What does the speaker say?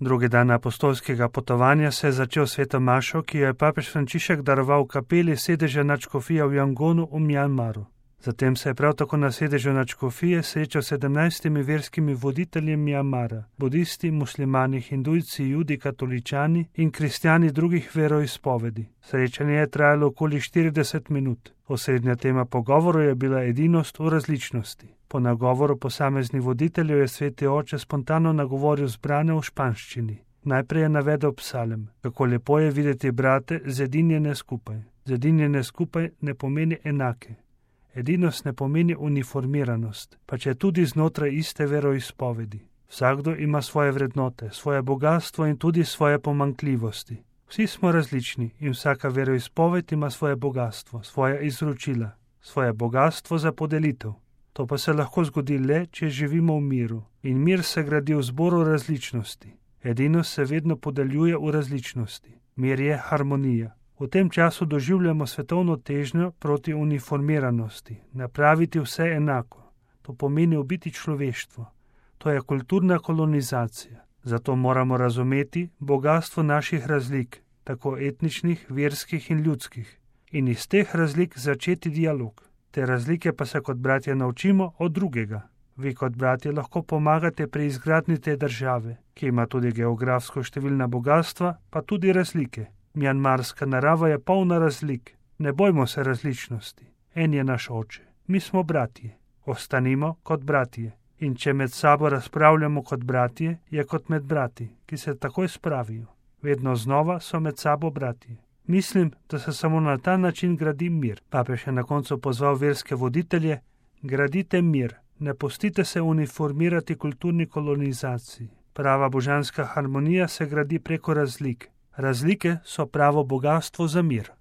Drugi dan apostolskega potovanja se je začel sveto mašo, ki jo je papež Frančišek daroval v kapeli sedeža nadškofije v Jangonu v Mjanmaru. Zatem se je prav tako na sedežu nadškofije srečal s 17 verskimi voditelji Mjanmara, budisti, muslimani, hindujci, judi, katoličani in kristjani drugih veroizpovedi. Srečanje je trajalo okoli 40 minut. Osrednja tema pogovoru je bila edinost v različnosti. Po nagovoru posameznih voditeljev je sveti oče spontano nagovoril zbrane v španščini. Najprej je navedel psalem, kako lepo je videti brate zedinjene skupaj. Zedinjene skupaj ne pomeni enake. Edinost ne pomeni uniformiranost, pa če tudi znotraj iste veroizpovedi. Vsakdo ima svoje vrednote, svoje bogatstvo in tudi svoje pomanjkljivosti. Vsi smo različni in vsaka veroizpoved ima svoje bogatstvo, svoja izročila, svoje bogatstvo za podelitev. To pa se lahko zgodi le, če živimo v miru. In mir se gradi v zboru različnosti. Edinost se vedno podeljuje v različnosti. Mir je harmonija. V tem času doživljamo svetovno težnjo proti uniformiranosti, napraviti vse enako. To pomeni ubiti človeštvo. To je kulturna kolonizacija. Zato moramo razumeti bogastvo naših razlik, tako etničnih, verskih in ljudskih. In iz teh razlik začeti dialog. Te razlike pa se kot bratje naučimo od drugega. Vi kot bratje lahko pomagate pri izgradnji te države, ki ima tudi geografsko številna bogatstva, pa tudi razlike. Mjanmarska narava je polna razlik. Ne bojmo se različnosti. En je naš oče. Mi smo bratje. Ostanimo kot bratje. In če med sabo razpravljamo kot bratje, je kot med brati, ki se takoj spravijo. Vedno znova so med sabo bratje. Mislim, da se samo na ta način gradi mir. Papež je na koncu pozval verske voditelje: gradite mir, ne pustite se uniformirati kulturni kolonizaciji. Prava božanska harmonija se gradi preko razlik. Razlike so pravo bogatstvo za mir.